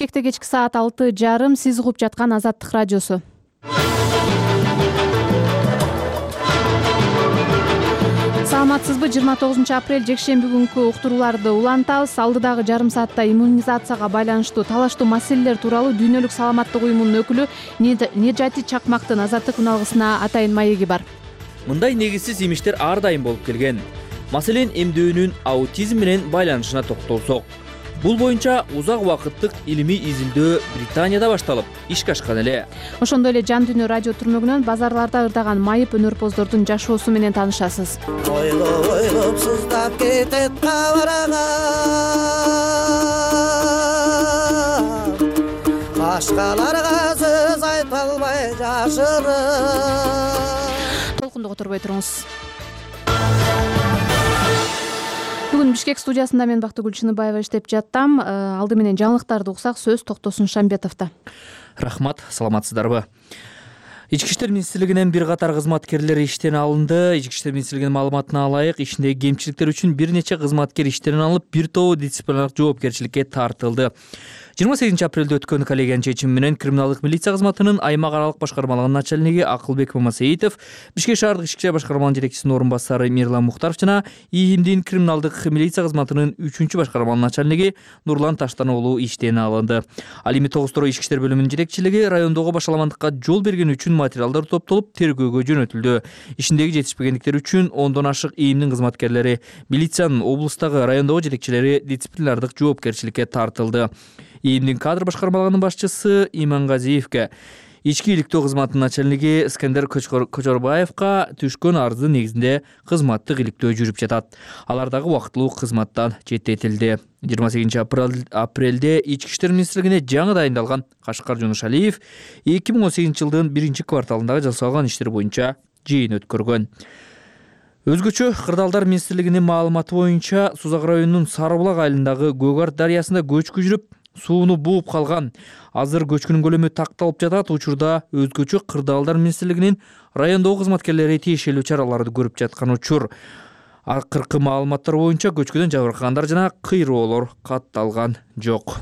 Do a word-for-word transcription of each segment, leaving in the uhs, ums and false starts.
Бишкекте кечки саат алты жарым, сиз угуп жаткан Азаттык радиосу. Саламатсызбы? жыйырма тогузунчу апрель жекшемби күнкү уктурууларды улантабыз. Алдыдагы жарым саатта иммунизацияга байланыштуу талаштуу маселелер тууралуу Дүйнөлүк саламаттык уюмунун өкүлү Нежати Чакмактын Азаттык үналгысына атайын маеги бар. Мындай негизсиз имиштер ар дайым болуп келген. Маселен, эмдөөнүн аутизм менен байланышына токтолсок. Бул боюнча узак убакыттык илимий изилдөө Британияда башталып, ишке ашкан эле. Ошондой эле Жан дүйнө радио түрмөгүнөн базарларда ырдаган майып өнөрпоздордун жашоосу менен таанышасыз. Ойлоп ойлоп сыздап кетет кабарга, башкаларга сөз айта албай жашырып. Толкунду которбой туруңуз. Бүгүн Бишкек студиясында мен Бактыгүл Чыныбаева иштеп жаттам. Алды менен жаңылыктарды уксак, сөз Токтосун Шамбетовдо. Рахмат, саламатсыздарбы? Ички иштер министрлигинен бир катар кызматкерлер иштен алынды. Ички иштер министрлигинин маалыматына алайык, ишиндеги кемчиликтер үчүн бир нече кызматкер иштен алынып, бир тобу дисциплинардык жоопкерчиликке тартылды. жыйырма сегизинчи апрелде өткөн коллегиянын чечими менен криминалдык милиция кызматынын аймак аралык башкармалыгынын начальниги Акылбек Мамасеитов, Бишкек шаардык ички ишler башкармалыгынын жетекчисинин орун басары Мирлан Мухтаров жана ИИМдин криминалдык милиция кызматынын үчүнчү башкармалыгынын начальниги Нурлан Таштан уулу иштен алынды. Ал эми тогуз торой ички иштер бөлүмүнүн жетекчилиги райондогу башаламандыкка жол бергени үчүн материалдар топтолуп тергөөгө жөнөтүлдү. Ишиндеги жетишпегендиктер үчүн ондон ашык ИИМдин кызматкерлери, милициянын облустагы, райондогу жетекчилери дисциплинардык жоопкерчиликке тартылды. ИИМдин кадр башкармалыгынын башчысы Имангазиевке, ички иликтөө кызматынын начальниги Скендер Кочорбаевка түшкөн арыздын негизинде кызматтык иликтөө жүрүп жатат. Алар дагы убактылуу кызматтан четтетилди. жыйырма сегизинчи апрелде ички иштер министрлигине жаңы дайындалган Кашкар Жунушалиев эки миң он сегизинчи жылдын биринчи кварталындагы жасалган иштер боюнча жыйын өткөргөн. Өзгөчө Кырдаалдар министрлигинин маалыматы боюнча Сузак районунун Сарыбулак айылындагы Көк Арт дарыясында көчкү жүрүп, сууну бууп калган. Азыр көчкүнүн көлөмү такталып жатат. Учурда өзгөчө Кырдаалдар министрлигинин райондогу кызматкерлери тиешелүү чараларды көрүп жаткан учур. Акыркы маалыматтар боюнча көчкүдөн жабыркагандар жана кыйроолор катталган жок.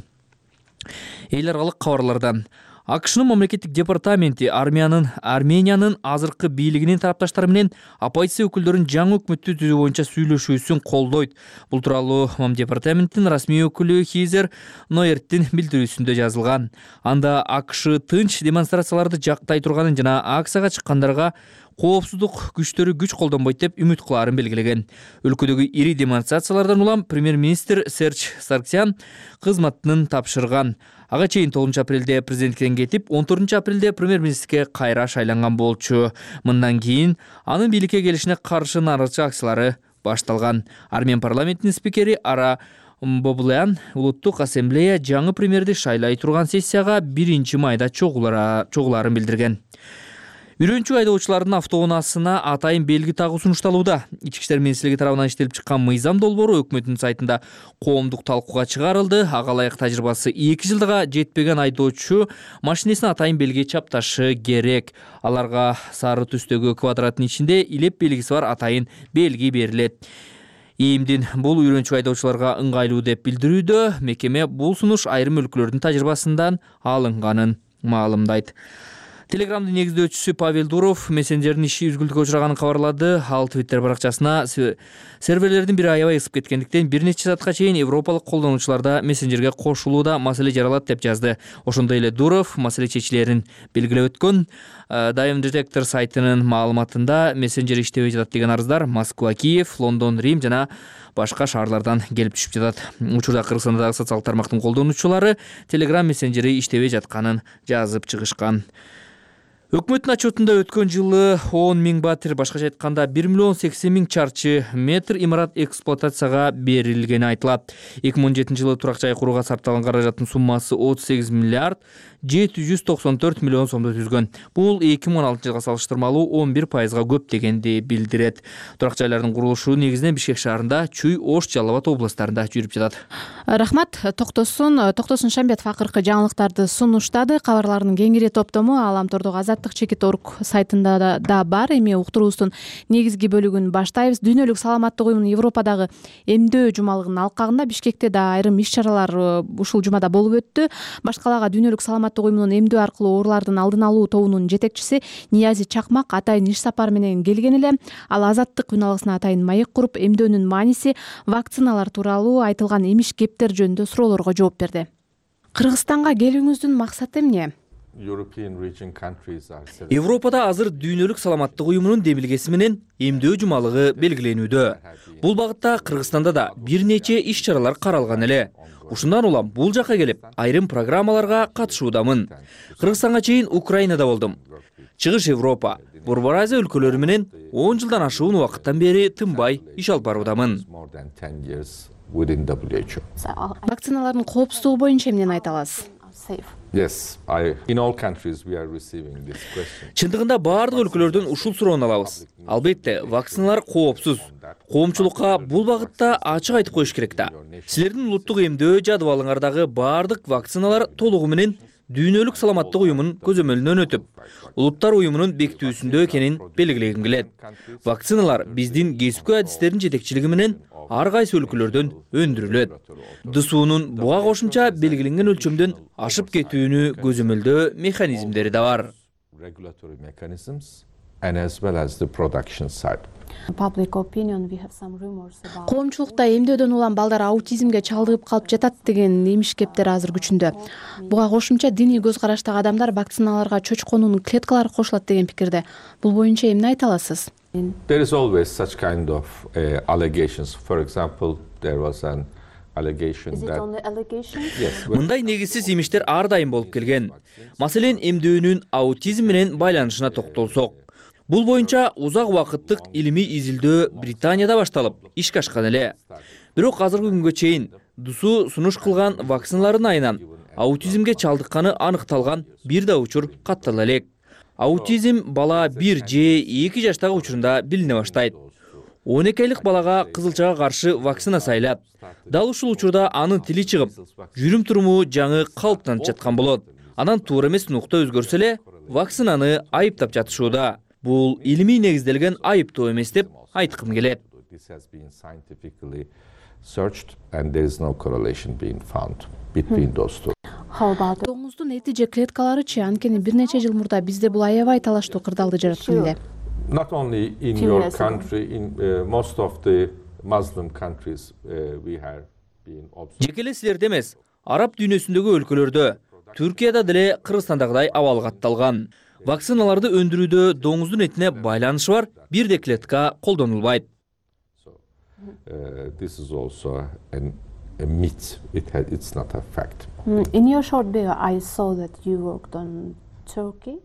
Эл аралык кабарлардан АКШнын мамлекеттик департаменти армиянын Армениянын азыркы бийлигинин тарапташтары менен оппозиция өкүлдөрүнүн жаңы өкмөттү түзүү боюнча сүйлөшүүсүн колдойт. Бул тууралуу Мам департаменттин расмий өкүлү Хизер Ноерттин билдирүүсүндө жазылган. Анда АКШ тынч демонстрацияларды жактай турганын жана акцияга чыккандарга коопсуздук күчтөрү күч колдонбойт деп үмүт кылаарын белгилеген. Өлкөдөгү ири демонстрациялардан улам премьер-министр Серж Сарксян кызматын тапшырган. Ага чейин тогузунчу апрелде президенттиктен кетип, он төртүнчү апрелде премьер-министрге кайра шайланган болчу. Мындан кийин анын бийликке келишине каршы нааразычылык акциялары башталган. Армян парламентинин спикери Ара Бобулян улуттук ассамблея жаңы премьерди шайлай турган сессияга биринчи майда чогулаарын билдирген. Үйрөнчү айдоочулардын автоунаасына атайын белги тагуу сунушталууда. Ички иштер министрлиги тарабынан иштелип чыккан мыйзам долбоору өкмөттүн сайтында коомдук талкууга чыгарылды. Ага ылайык тажрыйбасы эки жылдыга жетпеген айдоочу машинесине атайын белги чапташы керек. Аларга сары түстөгү квадраттын ичинде илеп белгиси бар атайын белги берилет. ИИМдин бул үйрөнчү айдоочуларга ыңгайлуу деп билдирүүдө. Мекеме бул сунуш айрым өлкөлөрдүн тажрыйбасынан алынганын маалымдайт. Телеграмдын негиздөөчүсү Павел Дуров мессенджердин иши үзгүлтүккө учраганын кабарлады. Ал Twitter баракчасына серверлердин бири аябай ысып кеткендиктен бир нече саатка чейин европалык колдонуучуларда мессенджерге кошулууда маселе жаралат деп жазды. Ошондой эле Дуров маселе чечилерин белгилеп өткөн. Diamond Detector сайтынын маалыматында мессенджер иштебей жатат деген арыздар Москва, Киев, Лондон, Рим жана башка шаарлардан келип түшүп жатат. Учурда Кыргызстандагы социалдык тармактын колдонуучулары Telegram мессенджери иштебей жатканын жазып чыгышкан. Өкмөттүн отчетунда өткөн жылы он миң батир, башкача айтканда бир миллион сексен миң чарчы метр имарат эксплуатацияга берилгени айтылат. эки миң он жетинчи жылы турак жай курууга сарпталган каражаттын суммасы отуз сегиз миллиард жети жүз токсон төрт миллион сомду түзгөн. Бул эки миң он алтынчы жылга салыштырмалуу он бир пайызга көп дегенди билдирет. Турак жайлардын курулушу негизинен Бишкек шаарында, Чүй, Ош, Жалал Абад областарында жүрүп жатат. Рахмат. Токтосун Токтосун Шамбетов акыркы жаңылыктарды сунуштады. Кабарлардын кеңири топтому Аламтордогу Азаттык азаттык чекит точка орг сайтында да бар. Эми уктуруубуздун негизги бөлүгүн баштайбыз. Дүйнөлүк саламаттык уюмунун Европадагы эмдөө жумалыгынын алкагында Бишкекте да айрым иш-чаралар ушул жумада болуп өттү. Баш калаага Дүйнөлүк саламаттык уюмунун эмдөө аркылуу оорулардын алдын алуу тобунун жетекчиси Ниязи Чакмак атайын иш сапар менен келген эле. Ал азаттык үналгысына атайын маек куруп, эмдөөнүн мааниси, вакциналар тууралуу айтылган эмиш кептер жөнүндө суроолорго жооп берди. Кыргызстанга келүүңүздүн максаты эмне? Европада азыр Дүйнөлүк саламаттык уюмунун демилгеси менен эмдөө жумалыгы белгиленүүдө. Бул багытта Кыргызстанда да бир нече иш-чаралар каралган эле. Ушундан улам бул жака келип, айрым программаларга катышуудамын. Кыргызстанга чейин Украинада болдум. Чыгыш Европа, Борбор Азия өлкөлөрү менен он жылдан ашуун убакыттан бери тынбай иш алып баруудамын. Вакциналардын коопсуздугу боюнча эмнени айта аласыз? Чындыгында баардык өлкөлөрдөн ушул суроону алабыз. Албетте, вакциналар коопсуз. Коомчулукка бул багытта ачык айтып коюш керек да. Силердин улуттук эмдөө жадыбалыңардагы баардык вакциналар толугу менен Дүйнөлүк саламаттык уюмунун көзөмөлүнөн өтүп, улуттар уюмунун бекитүүсүндө экенин белгилегим келет. Вакциналар биздин кесипкөй адистердин жетекчилиги менен ар кайсы өлкөлөрдөн өндүрүлөт. ДСУнун буга кошумча белгиленген өлчөмдөн ашып кетүүнү көзөмөлдөө механизмдери да бар. Коомчулукта эмдөөдөн улам балдар аутизмге чалдыгып калып жатат деген эмиш кептер азыр күчүндө. Буга кошумча диний көз караштагы адамдар вакциналарга чочконун клеткалары кошулат деген пикирде. Бул боюнча эмне айта аласыз? There is always such kind of uh, allegations. For example, there was an allegation Is it that only allegations? yes, Мындай негизсиз эмиштер ар дайым болуп келген. Маселен, эмдөөнүн аутизм менен байланышына токтолсок. Бул боюнча узак убакыттык илимий изилдөө Британияда башталып, ишке ашкан эле. Бирок азыркы күнгө чейин ДСУ сунуш кылган вакциналардын айынан аутизмге чалдыкканы аныкталган бир да учур каттала элек. Аутизм бала бир же эки жаштагы учурунда билине баштайт. он эки айлык балага кызылчага каршы вакцина сайлап, дал ушул учурда анын тили чыгып, жүрүм туруму жаңы калыптанып жаткан болот. Анан туура эмес нукта өзгөрсө эле, вакцинаны айыптап жатышууда. Бул илимий негизделген айыптоо эмес деп айткым келет. this has been scientifically searched and there is no correlation being found between those two. Доңуздун эти же клеткаларычы, анткени бир нече жыл мурда бизде бул аябай талаштуу кырдаалды жараткан эле. Not only in your country, in uh, most of the Muslim countries uh, we have been observed. Жекеле силерде эмес, араб дүйнөсүндөгү өлкөлөрдө, Түркияда деле Кыргызстандагыдай абал катталган. Вакциналарды өндүрүүдө доңуздун этине байланышы бар бир да клетка колдонулбайт. So uh, this is also an, a myth. It had, it's not a fact. In your short bio, I saw that you worked on Turkey.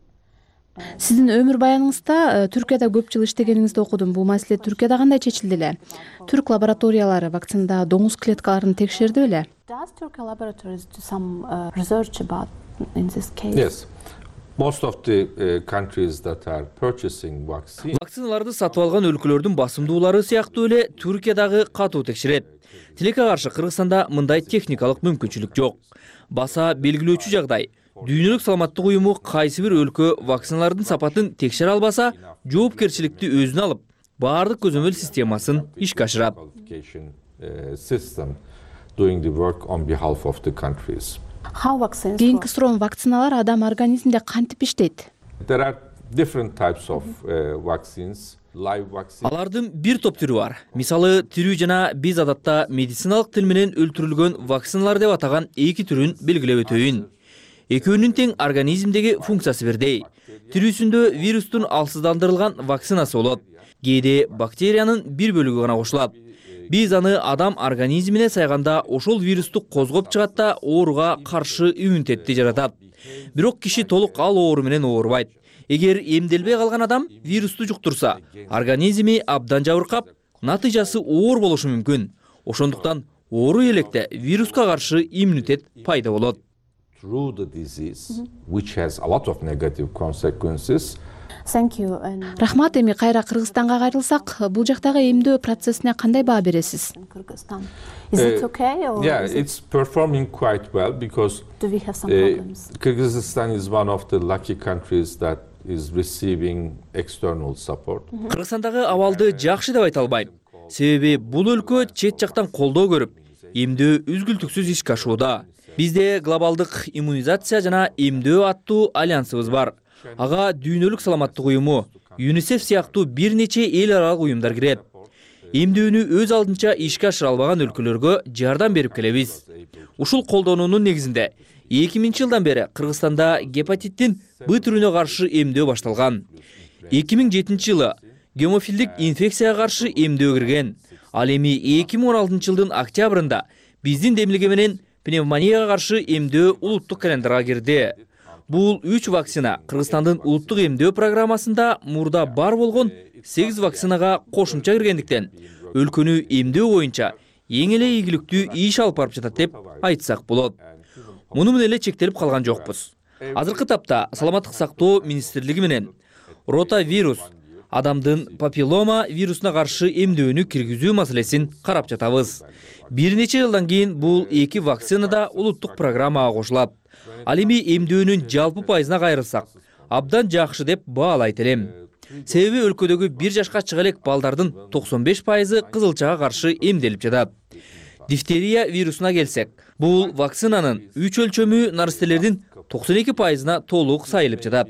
Сиздин өмүр баяныңызда Түркияда көп жыл иштегениңизди окудум. Бул маселе Түркияда кандай чечилди эле? Түрк лабораториялары вакцинада доңуз клеткаларын текшерди беле? Does Turkey laboratories do some uh, research about in this case? Yes. Most of the uh, countries that are purchasing vaccine. Вакциналарды сатып алган өлкөлөрдүн басымдуулары сыяктуу эле Түркиядагы катуу текшерет. Тилекке каршы Кыргызстанда мындай техникалык мүмкүнчүлүк жок. Баса белгилөөчү жагдай. Дүйнөлүк саламаттык уюму кайсы бир өлкө вакциналардын сапатын текшере албаса, жоопкерчиликти өзүнө алып, баардык көзөмөл системасын ишке ашырат. System doing the work on behalf of the countries. How vaccines Кийинки суроом, вакциналар адам организминде кантип иштейт? There are different types of uh, vaccines. Live vaccine. Алардын бир топ түрү бар. Мисалы, тирүү жана биз адатта медициналык тил менен өлтүрүлгөн вакциналар деп атаган эки түрүн белгилеп өтөйүн. Экөөнүн тең организмдеги функциясы бирдей. Тирүүсүндө вирустун алсыздандырылган вакцинасы болот. Кээде бактериянын бир бөлүгү гана кошулат. Биз аны адам организмине сайганда ошол вирусту козгоп чыгат да ооруга каршы иммунитетти жаратат. Бирок киши толук ал оору менен оорубайт. Эгер эмделбей калган адам вирусту жуктурса, организми абдан жабыркап, натыйжасы оор болушу мүмкүн. Ошондуктан оору электе вируска каршы иммунитет пайда болот. Through the disease, which has a lot of negative consequences. Thank you. And Рахмат, эми кайра Кыргызстанга кайрылсак, бул жактагы эмдөө процессине кандай баа бересиз? Kyrgyzstan. Is it okay or Yeah, is it, it's performing quite well because do we have some uh, problems? Kyrgyzstan is one of the lucky countries that is receiving external support. Кыргызстандагы абалды жакшы деп айта албайм. Себеби бул өлкө чет жактан колдоо көрүп, эмдөө үзгүлтүксүз ишке ашууда. Бизде глобалдык иммунизация жана эмдөө аттуу альянсыбыз бар. Ага дүйнөлүк саламаттык уюму, ЮНИСЕФ сыяктуу бир нече эл аралык уюмдар кирет. Эмдөөнү өз алдынча ишке ашыра албаган өлкөлөргө жардам берип келебиз. Ушул колдоонунун негизинде эки миңинчи жылдан бери Кыргызстанда гепатиттин Б түрүнө каршы эмдөө башталган. эки миң жетинчи жылы гемофилдик инфекцияга каршы эмдөө кирген. Ал эми эки миң он алтынчы жылдын октябрында биздин демилге менен пневмонияга каршы эмдөө улуттук календарга кирди. Бул үч вакцина Кыргызстандын улуттук эмдөө программасында мурда бар болгон сегиз вакцинага кошумча киргендиктен өлкөнү эмдөө боюнча эң эле ийгиликтүү иш алып барып жатат деп айтсак болот. Муну менен эле чектелип калган жокпуз. Азыркы тапта Саламаттык сактоо министрлиги менен ротавирус, адамдын папиллома вирусуна каршы эмдөөнү киргизүү маселесин карап жатабыз. Бир нече жылдан кийин бул эки вакцина да улуттук программага кошулат. Ал эми эмдөөнүн жалпы пайызына кайрылсак, абдан жакшы деп баалайт элем. Себеби өлкөдөгү бир жашка чыга элек балдардын токсон беш пайызы кызылчага каршы эмделип жатат. Дифтерия вирусуна келсек, бул вакцинанын үч өлчөмү наристелердин токсон эки пайызына толук сайылып жатат.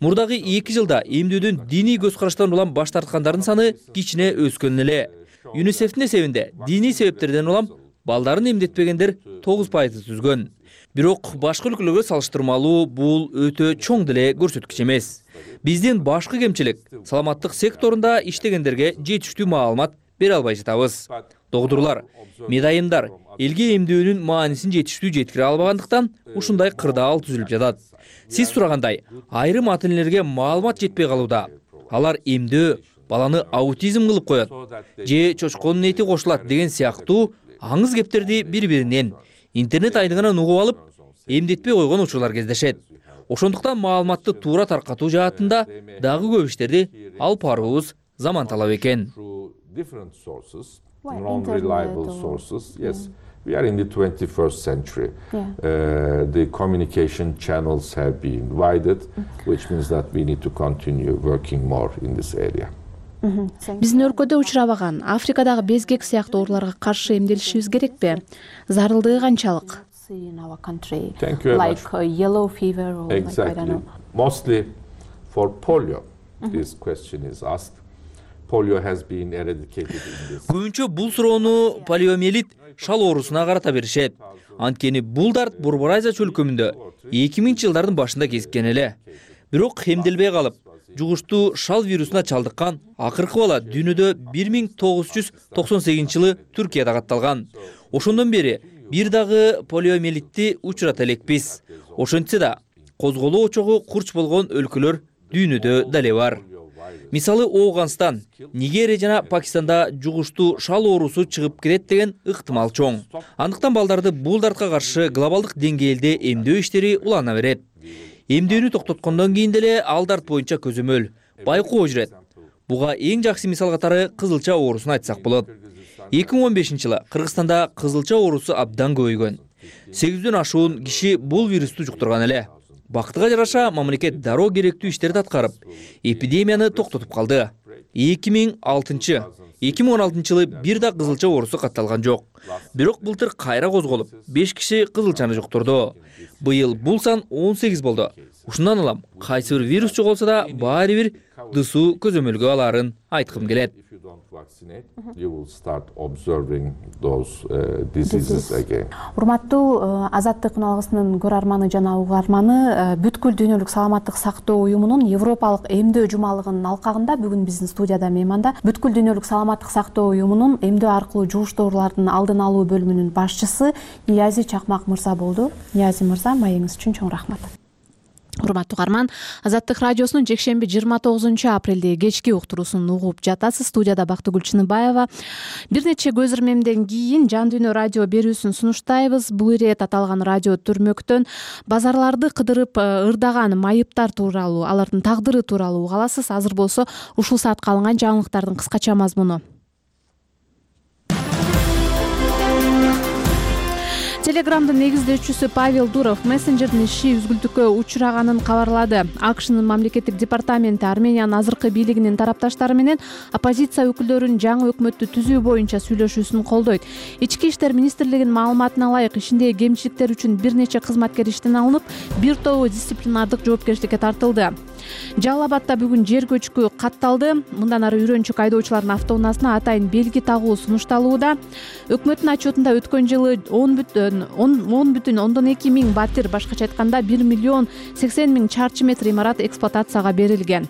Мурдагы эки жылда эмдөөдөн диний көз караштан улам баш тарткандардын саны кичине өскөн эле. ЮНИСЕФтин эсебинде диний себептерден улам балдарын эмдетпегендер тогуз пайызды түзгөн. Бирок башка өлкөлөргө салыштырмалуу бул өтө чоң деле көрсөткүч эмес. Биздин башкы кемчилик саламаттык секторунда иштегендерге жетиштүү маалымат бере албай жатабыз. Докторлор, медайымдар элге эмдөөнүн маанисин жетиштүү жеткире албагандыктан ушундай кырдаал түзүлүп жатат. Сиз сурагандай, айрым ата-энелерге маалымат жетпей калууда. Алар эмдөө баланы аутизм кылып коет же чочконун эти кошулат деген сыяктуу аңыз кептерди бири-биринен интернет айдыңынан угуп алып, эмдетпей койгон учурлар кездешет. Ошондуктан маалыматты туура таркатуу жаатында дагы көп иштерди алып баруубуз заман талап экен. Non-reliable sources. Yes, we are in the twenty-first century. Yeah. Uh, the communication channels have been widened, which means that we need to continue working more in this area. Биздин өлкөдө учурабаган Африкадагы безгек сыяктуу ооруларга каршы эмделишибиз керекпи? Зарылдыгы канчалык? Thank you very like much. Uh, yellow fever or exactly. like, I don't know. Mostly for polio, mm-hmm. this question is asked. Polio has been eradicated in this. Көбүнчө бул суроону полиомиелит шал оорусуна карата беришет. Анткени бул дарт Борбор-Азия чөлкөмүндө эки миңинчи жылдардын башында кезиккен эле. Бирок эмделбей калып, жугуштуу шал вирусуна чалдыккан акыркы бала дүйнөдө бир миң тогуз жүз токсон сегизинчи жылы Түркияда катталган. Ошондон бери бир дагы полиомиелитти учурата элекпиз. Ошентсе да козголоо очогу курч болгон өлкөлөр дүйнөдө дале бар. Мисалы Оуганстан, Нигерия жана Пакистанда жугуштуу шал оорусу чыгып кетет деген ыктымал чоң. Андыктан балдарды бул дартка каршы глобалдык деңгээлде эмдөө иштери улана берет. Эмдөөнү токтоткондон кийин деле ал дарт боюнча көзөмөл, байкоо жүрөт. Буга эң жакшы мисал катары кызылча оорусун айтсак болот. эки миң он бешинчи жылы Кыргызстанда кызылча оорусу абдан көбөйгөн. сегизден ашуун киши бул вирусту жуктурган эле. Бактыга жараша мамлекет дароо керектүү иштерди аткарып, эпидемияны токтотуп калды. эки миң алтынчы эки миң он алтынчы жылы бир да кызылча оорусу катталган жок. Бирок былтыр кайра козголуп, беш киши кызылчаны жуктурду. Быйыл бул сан он сегиз болду. Ушундан улам кайсы бир вирус жоголсо да баары бир дысуу көзөмөлгө аларын айткым келет. You will start observing those uh, diseases again. Урматтуу Азаттык каналыбызынын көрөрманы жана угарманы, бүткүл дүйнөлүк саламаттык сактоо уюмунун Европалык эмдөө жумалыгынын алкагында бүгүн биздин студияда мейманда бүткүл дүйнөлүк саламаттык сактоо уюмунун эмдөө аркылуу жугуштуу оорулардын алдын алуу бөлүмүнүн башчысы Ниязи Чакмак мырза болду. Ниязи мырза, маегиңиз үчүн чоң рахмат. Урматтуу угарман, Азаттык радиосунун жекшемби жыйырма тогузунчу апрелдеги кечки уктуруусун угуп жатасыз. Студияда Бактыгүл Чыныбаева. Бир нече көз ирмемден кийин Жан дүйнө радио берүүсүн сунуштайбыз. Бул ирет аталган радио түрмөктөн базарларды кыдырып ырдаган майыптар тууралуу, алардын тагдыры тууралуу уга аласыз. Азыр болсо ушул саатка алынган жаңылыктардын кыскача мазмуну. Телеграмдын негиздөөчүсү Павел Дуров мессенджердин иши үзгүлтүккө учураганын кабарлады. АКШнын мамлекеттик департаменти Армениянын азыркы бийлигинин тарапташтары менен оппозиция өкүлдөрүнүн жаңы өкмөттү түзүү боюнча сүйлөшүүсүн колдойт. Ички иштер министрлигинин маалыматына ылайык, ишиндеги кемчиликтер үчүн бир нече кызматкер иштен алынып, бир тобу дисциплинардык жоопкерчиликке тартылды. Жалал Абадта бүгүн жер көчкү катталды. Мындан ары үйрөнчүк айдоочулардын автоунаасына атайын белги тагуу сунушталууда. Өкмөттүн отчетунда өткөн жылы он бүтүн ондон эки миң батир, башкача айтканда бир миллион сексен миң чарчы метр имарат эксплуатацияга берилген.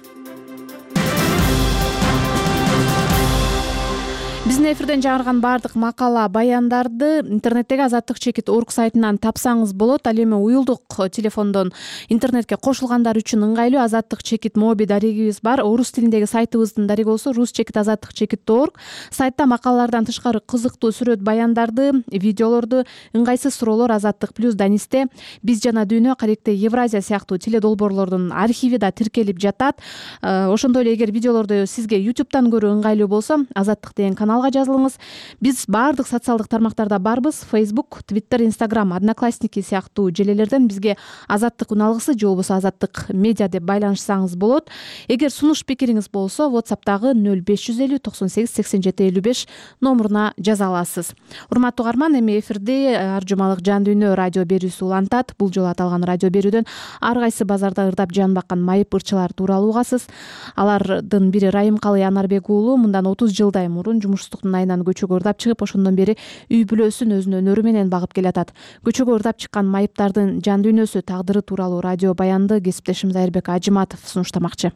Биздин эфирден жаңырган баардык макала, баяндарды интернеттеги азаттык чекит орг сайтынан тапсаңыз болот. Ал эми уюлдук телефондон интернетке кошулгандар үчүн ыңгайлуу азаттык чекит моби дарегибиз бар. Орус тилиндеги сайтыбыздын дареги болсо рус чекит азаттык чекит точка орг. Сайтта макалалардан тышкары кызыктуу сүрөт баяндарды, видеолорду, ыңгайсыз суроолор азаттык плюс данисте, биз жана дүйнө, Каректе Евразия сыяктуу теледолбоорлордун архиви да тиркелип жатат. Ошондой эле эгер видеолорду сизге ютубтан көрүү ыңгайлуу болсо, азаттык деген каналга жазылыңыз. Биз баардык социалдык тармактарда барбыз. Facebook, Twitter, Instagram, Одноклассники сыяктуу желелерден бизге азаттык уналгысы же болбосо азаттык медиа деп байланышсаңыз болот. Эгер сунуш пикириңиз болсо, WhatsApp'тагы нөл беш жүз элүү токсон сегиз сексен жети элүү беш номуруна жаза аласыз. Урматтуу угарман, эми эфирде ар жумалык Жан дүйнө радио берүүсү улантат. Бул жолу аталган радио берүүдөн ар кайсы базарда ырдап жан баккан майып ырчылар тууралуу угасыз. Алардын бири Райымкалы Анарбек уулу мындан отуз жылдай мурун жумушсуздуктун айынан көчөгө ырдап чыгып, ошондон бери үй бүлөсүн өзүнүн өнөрү менен багып келатат. Көчөгө ырдап чыккан майыптардын жан дүйнөсү, тагдыры тууралуу радио баянды кесиптешим Зайырбек Ажыматов сунуштамакчы.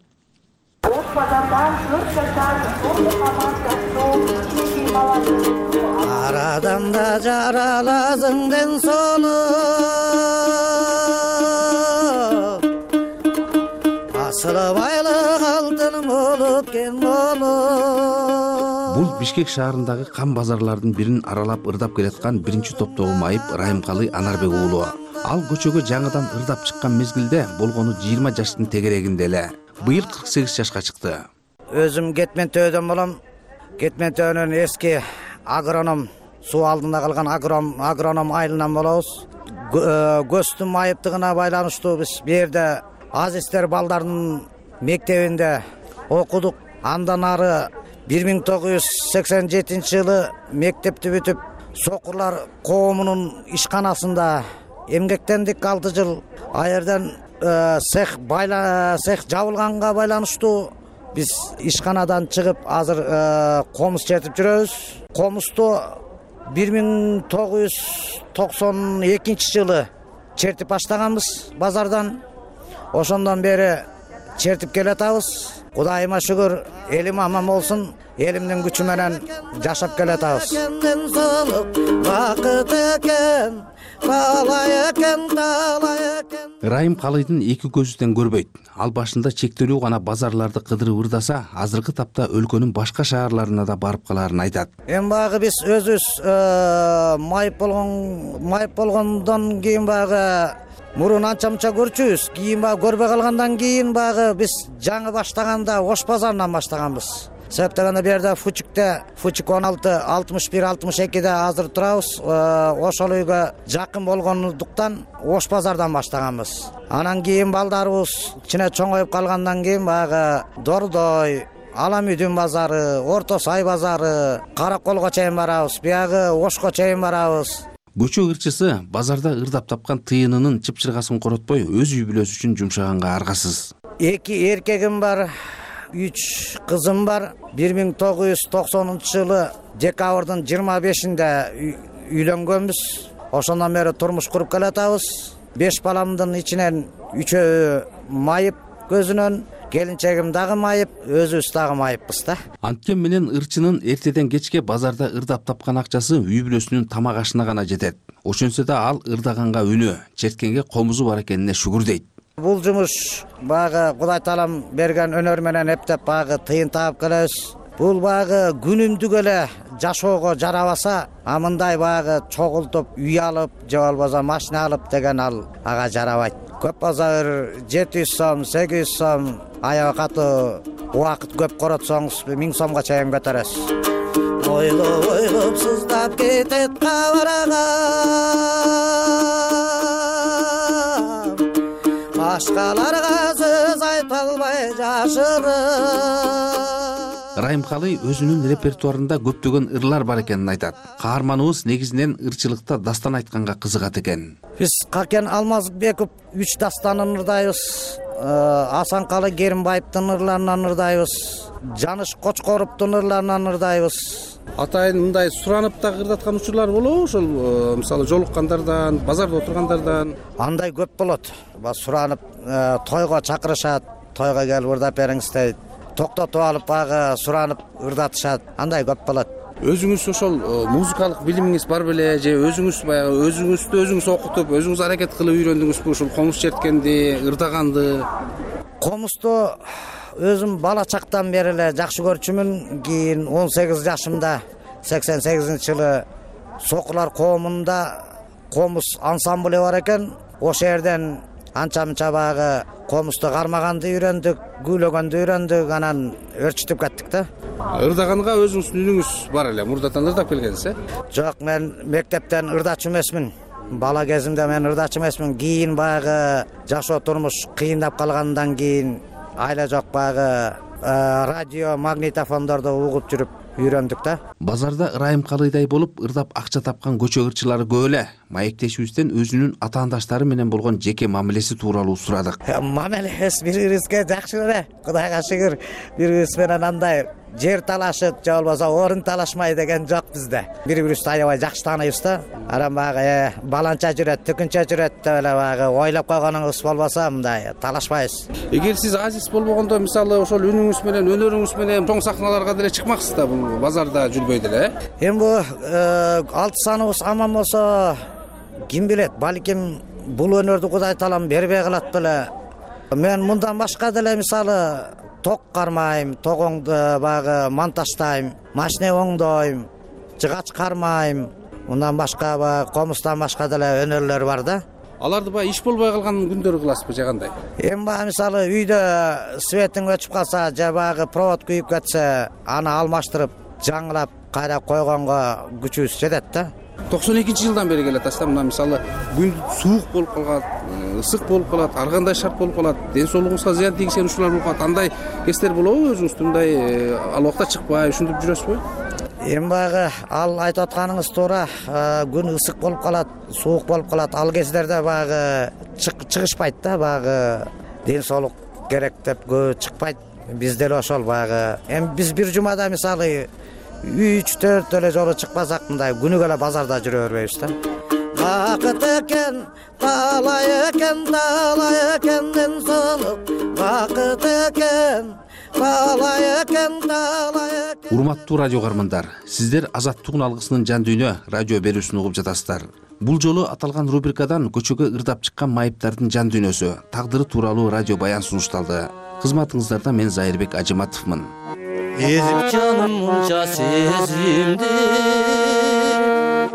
Ар адамда жаралазыңден сону асылы байлык алтын болуп кен болу. Бул Бишкек шаарындагы кам базарлардын бирин аралап ырдап келаткан биринчи топтогу майып Райымкалы Анарбек уулу. Ал көчөгө жаңыдан ырдап чыккан мезгилде болгону жыйырма жаштын тегерегинде эле. Быйыл кырк сегиз жашка чыкты. Өзүм Кетмен төөдөн болом. Кетмен төөнүн эски агроном, суу алдында калган агроном агроном айылынан болобуз. Көстүн майыптыгына байланыштуу биз бу жерде Азиздер балдардын мектебинде окудук. Андан ары бир миң тогуз жүз сексен жетинчи жылы мектепти бүтүп, Сокурлар коомунун ишканасында эмгектендик алты жыл. А жерден цех байла цех жабылганга байланыштуу биз ишканадан чыгып азыр комуз чертип жүрөбүз. Комузду бир миң тогуз жүз токсон экинчи жылы чертип баштаганбыз базардан. Ошондон бери чертип келатабыз. Кудайыма шүгүр, элим аман болсун, элимдин күчү менен жашап келатабыз. Райымкалыдын эки көзүдөн көрбөйт. Ал башында чектелүү гана базарларды кыдырып ырдаса, азыркы тапта өлкөнүн башка шаарларына да барып каларын айтат. Эми багы биз өзүбүз майып болгон майып болгондон кийин багы мурун анча мынча көрчүбүз. Кийин багы көрбөй калгандан кийин багы биз жаңы баштаганда Ош базарынан баштаганбыз. Себеп дегенде бу жерде Фучикте, Фучик он алты алтымыш бир алтымыш экиде азыр турабыз. Ошол үйгө жакын болгондуктан Ош базардан баштаганбыз. Анан кийин балдарыбыз кичине чоңоюп калгандан кийин багы Дордой, Аламүдүн базары, Орто Сай базары, Караколго чейин барабыз. Биягы Ошко чейин барабыз. Көчө ырчысы базарда ырдап тапкан тыйынынын чыпчыргасын коротпой өз үй бүлөсү үчүн жумшаганга аргасыз. Эки эркегим бар, үч кызым бар. бир миң тогуз жүз токсонунчу жылы декабрдын жыйырма бешинде үйлөнгөнбүз. Ошондон бери турмуш куруп келатабыз. Беш баламдын ичинен үчөө майып көзүнөн, келинчегим дагы майып, өзүбүз дагы майыппыз да. Анткени менен ырчынын эртеден кечке базарда ырдап тапкан акчасы үй бүлөсүнүн тамак ашына гана жетет. Ошентсе да ал ырдаганга үнү, черткенге комузу бар экенине шүгүр дейт. Бул жумуш багы Кудай таалам берген өнөр менен эптеп багы тыйын таап келебиз. Бул багы күнүмдүк эле жашоого жарабаса, а мындай багы чогултуп үй алып, же болбосо машина алып деген ал ага жарабайт. Көп болсо бир жети жүз сом, сегиз жүз сом, аябай катуу убакыт көп коротсоңуз миң сомго чейин көтөрөсүз. ойлоп ойлоп сыздап кетет кабыргам башкаларга сөз айта албай жашырып. Райымкалы өзүнүн репертуарында көптөгөн ырлар бар экенин айтат. Каарманыбыз негизинен ырчылыкта дастан айтканга кызыгат экен. Биз Какен Алмазбеков үч дастанын ырдайбыз. Асанкалы Керимбаевдин ырларынан ырдайбыз. Жаныш Кочкоровдун ырларынан ырдайбыз. Атайын мындай суранып дагы ырдаткан учурлар болобу? Ошол мисалы жолуккандардан, базарда отургандардан. Андай көп болот. Суранып тойго чакырышат, тойго келип ырдап бериңиз дейт. Токтотуп алып багы суранып ырдатышат. Андай көп болот. Өзүңүз ошол музыкалык билимиңиз бар беле же өзүңүз баягы өзүңүздү өзүңүз окутуп, өзүңүз аракет кылып үйрөндүңүзбү ушул комуз черткенди, ырдаганды? Комузду өзүм бала чактан бери эле жакшы көрчүмүн. Кийин он сегиз жашымда сексен сегизинчи жылы Сокулар коомунда комуз ансамблы бар экен. Ошол жерден анча-мынча багы комузду кармаганды үйрөндүк, күйлөгөндү үйрөндүк, анан өрчүтүп кеттик да. Ырдаганга өзүңүздүн үнүңүз бар эле, мурдатан ырдап келгенсиз э? Жок, мен мектептен ырдачу эмесмин. Бала кезимде мен ырдачу эмесмин. Кийин багы жашоо турмуш кыйындап калгандан кийин айла жок багы радио, магнитофондорду угуп жүрүп үйрөндүк да. Базарда Ырайымкалыйдай болуп ырдап акча тапкан көчө ырчылары көп эле. Маектешибизден өзүнүн атаандаштары менен болгон жеке мамилеси тууралуу сурадык. Мамилебиз бири-бирибизге жакшы эле. Кудайга шүгүр, бири-бирибиз менен андай жер талашып, же болбосо орун талашмай деген жок бизде. Бири-бирибизди аябай жакшы тааныйбыз да. Анан багы баланча жүрөт, түкүнчө жүрөт деп эле багы ойлоп койгонуңуз болбосо мындай талашпайбыз. Эгер сиз азиз болбогондо, мисалы ошол үнүңүз менен, өнөрүңүз менен чоң сахналарга деле чыкмаксыз да, бул базарда жүрбөй деле. Эми бу алты саныбыз аман болсо, ким билет, балким бул өнөрдү Кудай таалам бербей калат беле. Мен мындан башка деле мисалы ток кармайм, тогоңду багы монтаждайм, машина оңдойм, жыгач кармайм. Мындан башка багы комуздан башка деле өнөрлөр бар да. Аларды баягы иш болбой калган күндөрү кыласызбы же кандай? Эми багы мисалы үйдө светиң өчүп калса, же багы провод күйүп кетсе, аны алмаштырып, жаңылап кайра койгонго күчүбүз жетет да. токсон экинчи жылдан бери келатасыз да. Мына мисалы күн суук болуп калат, ысык болуп калат, ар кандай шарт болуп калат, ден соолугуңузга зыян тийгизген учурлар болуп калат. Андай кездер болобу өзүңүздү мындай ал убакта чыкпай ушинтип жүрөсүзбү? Эми багы ал айтып атканыңыз туура. Күн ысык болуп калат, суук болуп калат. Ал кездерде багы чыгышпайт да, багы ден соолук керек деп көп чыкпайт. Бизде эле ошол багы. Эми биз бир жумада мисалы үч төрт эле жолу чыкпасак, мындай күнүгө эле базарда жүрө бербейбиз да. Бакыт экен, талай экен, талай экен ден соолук. Бакыт экен, талай экен, талай экен. Урматтуу радио каармандар, сиздер Азаттыктын алгысынын жан дүйнө радио берүүсүн угуп жатасыздар. Бул жолу аталган рубрикадан көчөгө ырдап чыккан майыптардын жан дүйнөсү, тагдыры тууралуу радио баян сунушталды. Кызматыңыздарда мен Зайырбек Ажыматовмун. Ezip canım munca sezimdi,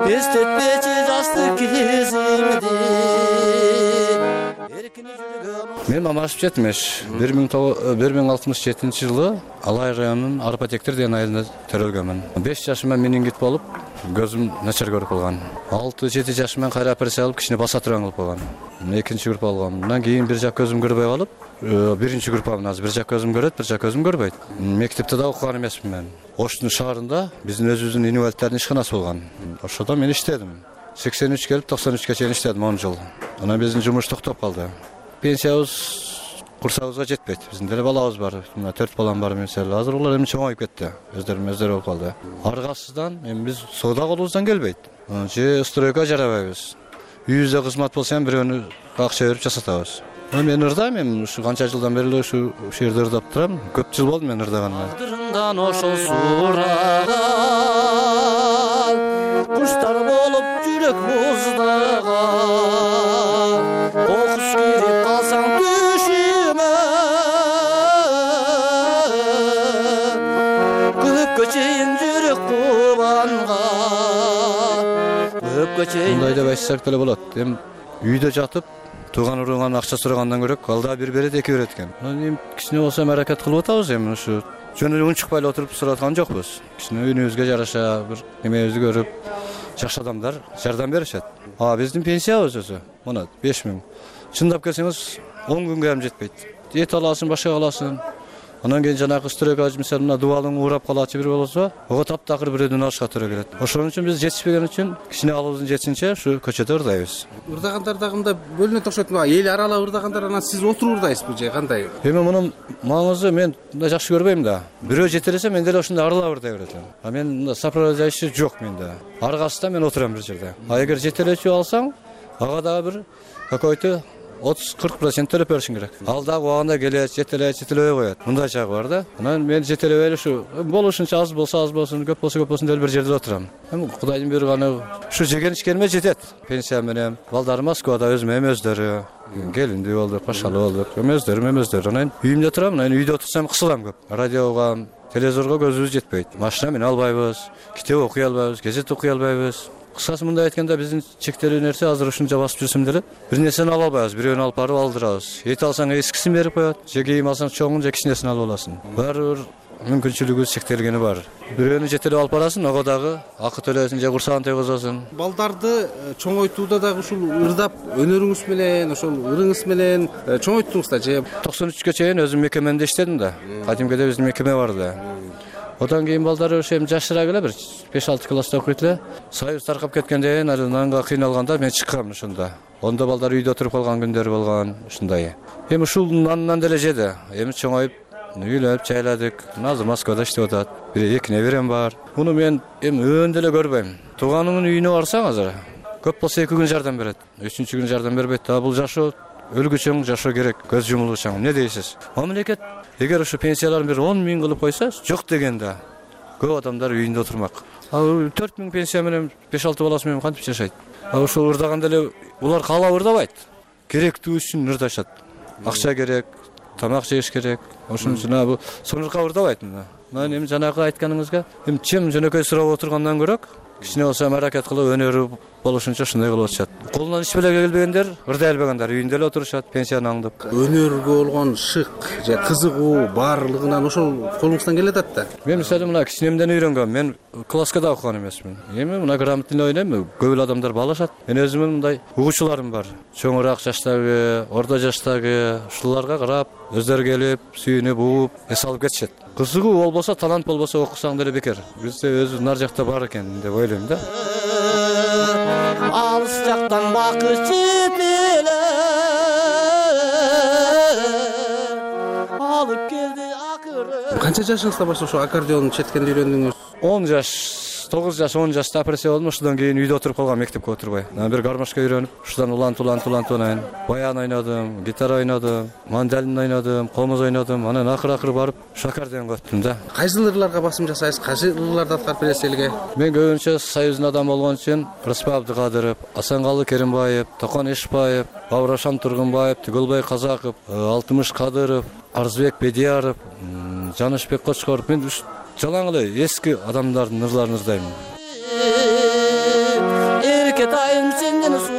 estetmeci jastыk kezimdi. Мен Мамашев Жетимеш, бир миң алтымыш жетинчи жылы Алай районунун Арпатектер деген айылында төрөлгөнмүн. беш жашымда менингит болуп, көзүм начар көрүп калган. алты жети жашымда кайра операция алып, кичине басатыран кылып калган. Экинчи группа алгам. Андан кийин бир жак көзүм көрбөй калып, биринчи группамын азыр. Бир жак көзүм көрөт, бир жак көзүм көрбөйт. Мектепте да окуган эмесмин мен. Оштун шаарында биздин өзүбүздүн инвалидтердин ишканасы болгон. Ошодо мен иштедим. сексен үч келип токсон үчкө чейин иштедим, он жыл. Анан биздин жумуш токтоп калды. Пенсиябыз курсабызга жетпейт. Биздин деле балабыз бар. Мына төрт балам бар мисалы. Азыр улар эми чоңоюп кетти. Өздөрү өздөрү болуп калды. Аргасыздан эми биз соода колубуздан келбейт. Же стройка жарабайбыз. Үйүбүздө кызмат болсо эми бирөөнү акча берип жасатабыз. Мен ырдайм, эми ушу канча жылдан бери эле ушу жерде ырдап турам. Көп жыл болду мен ырдаганына. Тагдырымдан ошол сураган, куштар болуп жүрөк муздаган, кокус кирип калсаң түшүмө, көпкө чейин жүрөк кубанга, көпкө чейин. Мындай деп айтсак деле болот. Эми үйдө жатып тууган урууган акча сурагандан көрөк, алда бир берет, эки берет экен. Эми кичине болсо аракет кылып атабыз эми ушу жөн эле унчукпай эле отуруп сурап аткан жокпуз. Кичине үйүнүбүзгө жараша бир немебизди көрүп жакшы адамдар жардам беришет. А биздин пенсиябыз өзү мына беш миң. Чындап келсеңиз он күнгө ham жетпейт. Эт аласың, башка аласың. Анан кийин жанагы стройка мисалы мына дубалың урап калачы бир болсо, ого таптакыр бирөөдөн алышка туура келет. Ошон үчүн биз жетишпеген үчүн кичине алыбыздын жетсинче ушу көчөдө ырдайбыз. Ырдагандар дагы мындай бөлүнөт окшойт. Эл аралап ырдагандар анан сиз отуруп ырдайсызбы же кандай? Эми мунун маңызы мен мындай жакшы көрбөйм да. Бирөө жетелесе мен деле ошондой аралап ырдай берет элем. А мен мындай сопровождающий жок менде. Аргасында мен отурам бир жерде. А эгер жетелечү алсаң, ага дагы бир какой-то отуз кырк процент төлөп беришиң керек. Ал дагы убагында келет, жетелейт, жетелебей коет. Мындай жагы бар да. Анан мен жетелебей эле ушу болушунча аз болсо аз болсун, көп болсо көп болсун деп бир жерде отурам. Эми Кудайдын буйруганы ушу жеген ичкениме жетет. Пенсия менен балдарым Москвада өзүм эми өздөрү келиндүү болдук, пашалуу болдук. Эми өздөрүм эми өздөрү. Анан үйүмдө турам, анан үйдө отурсам кысылам көп. Радиого, телевизорго көзүбүз жетпейт. Машина менен албайбыз, китеп окуй албайбыз, газет окуй албайбыз. Кыскасы мындай айтканда биздин чектелүү нерсе азыр ушунча басып жүрсөм деле бир нерсени ала албайбыз, бирөөнү алып барып алдырабыз. Эт алсаң эскисин берип коет, же кийим алсаң чоңун же кичинесин алып аласың. Баары бир мүмкүнчүлүгүбүз чектелгени бар. Бирөөнү жетелеп алып барасың, ого дагы акы төлөсүң же курсагын тийгизесиң. Балдарды чоңойтууда дагы ушул ырдап өнөрүңүз менен, ошол ырыңыз менен чоңойттуңуз да же? токсон үчкө чейин өзүм мекемемде иштедим да. Кадимкиде биздин мекеме бар да. Одан кийин балдары ошо эми жашыраак эле бир беш алты класста окуйт эле. Союз таркап кеткенден кийин нанга кыйналганда мен чыккам ошондо. Онда балдар үйдө отуруп калган күндөр болгон ушундай. Эми ушул нандан деле жеди. Эми чоңоюп, үйлөнүп, жайладык. Азыр Москвада иштеп атат. Бир эки неберем бар. Муну мен эми өндө эле көрбөйм. Тууганыңдын үйүнө барсаң азыр көп болсо эки күн жардам берет. Үчүнчү күн жардам бербейт да. Бул жашоо өлгүчөң жашоо керек, көз жумулгучаң. Эмне дейсиз? Мамлекет эгер ушу пенсияларын бир он миң кылып койсо, жок дегенде көп адамдар үйүндө отурмак. Ал төрт миң пенсия менен беш алты баласы менен кантип жашайт? А ошол ырдаганда эле улар каалап ырдабайт. Керектүү үчүн ырдашат. Акча керек, тамак жеш керек. Ошон үчүн бул сонурка ырдабайт мына. Мен эми жанагы айтканыңызга эми чем жөнөкөй сурап отургандан көрөк, кичине болсо аракет кылып өнөрү болушунча ушундай кылып атышат. Колунан иш беле келбегендер, ырдай албагандар үйүндө эле отурушат, пенсияны аңдып. Өнөргө болгон шык же кызыгуу баарлыгынан ошол колуңуздан келе атат да. Мен мисалы мына кичинемден үйрөнгөм. Мен класска да окуган эмесмин. Эми мына грамотный ойнойм, көп эле адамдар баалашат. Мен өзүмүн мындай угуучуларым бар. Чоңураак жаштагы, орто жаштагы, ушуларга карап, өздөрү келип, сүйүнүп, угуп, эс алып кетишет. Кызыгуу болбосо, талант болбосо окусаң деле бекер. Бизде өзү нар жакта бар экен деп ойлойм да. Алыс жактан бакыш жетеле алып келди акыры. Канча жашыңызда баштап ошо аккордеон четкенди үйрөндүңүз? он жаш, тогуз жаш, он жашта опрессия болдум. Ушудан кийин үйдө отуруп калгам, мектепке отурбай. Анан бир гармошка үйрөнүп, ушудан улант улант улант ойнойм. Баян ойнодум, гитара ойнодум, мандолин ойнодум, комуз ойнодум. Анан акыр акыр барып ушу аккордеонго өттүм да. Кайсы ырларга басым жасайсыз? Кайсы ырларды аткарып бересиз элге? Мен көбүнчө союздун адамы болгон үчүн Рыспай Абдыкадыров, Асангалы Керимбаев, Токон Эшбаев, Бабырашам Тургунбаев, Түгөлбай Казаков, Алтымыш Кадыров, Арзбек Бедияров, Жанышбек Кочкоров. Мен жалаң эле эски адамдардын ырларын ырдайм.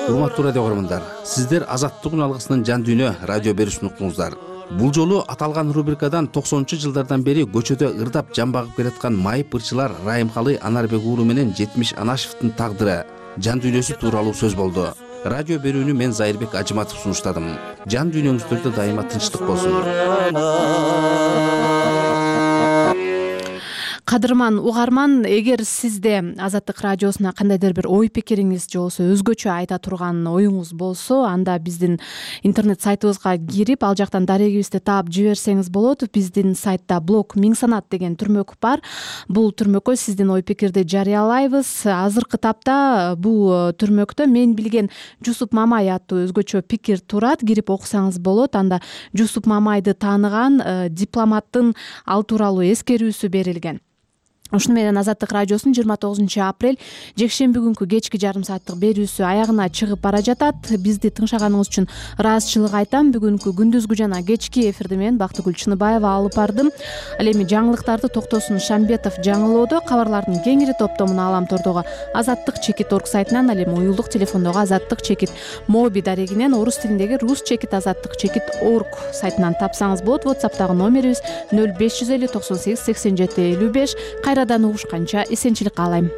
Урматтуу радио көрөрмандар, сиздер Азаттык үн алгысынын жан дүйнө радио берүүсүн уктуңуздар. Бул жолу аталган рубрикадан токсонунчу жылдардан бери көчөдө ырдап жан багып келаткан майып ырчылар Райымкалы Анарбек уулу менен Жетимиш Анашевдин тагдыры, жан дүйнөсү тууралуу сөз болду. Радио берүүнү мен Зайырбек Ажыматов сунуштадым. Жан дүйнөңүздөрдө дайыма тынчтык болсун. Кадырман угарман, эгер сизде Азаттык радиосуна кандайдыр бир ой пикириңиз же болбосо өзгөчө айта турган оюңуз болсо, анда биздин интернет сайтыбызга кирип, ал жактан дарегибизди таап жиберсеңиз болот. Биздин сайтта блог Миң санат деген түрмөк бар. Бул түрмөккө сиздин ой пикирди жарыялайбыз. Азыркы тапта бул түрмөктө мен билген Жусуп Мамай аттуу өзгөчө пикир турат. Кирип окусаңыз болот. Анда Жусуп Мамайды тааныган дипломаттын ал тууралуу эскерүүсү берилген. ушуну менен Азаттык радиосунун жыйырма тогузунчу апрель жекшемби күнкү кечки жарым сааттык берүүсү аягына чыгып бара жатат. Бизди тыңшаганыңыз үчүн ыраазычылык айтам. Бүгүнкү күндүзгү жана кечки эфирди мен Бактыгүл Чыныбаева алып бардым. Ал эми жаңылыктарды Токтосун Шамбетов жаңылоодо, кабарлардын кеңири топтомун Аламтордогу азаттык чекит точка орг сайтынан, ал эми уюлдук телефондогу азаттык чекит моби дарегинен, орус тилиндеги рус чекит азаттык чекит точка орг сайтынан тапсаңыз болот. WhatsApp'тагы номерибиз нөл беш жүз элүү токсон сегиз сексен жети элүү беш. Кайрадан угушканча эсенчилик каалайм.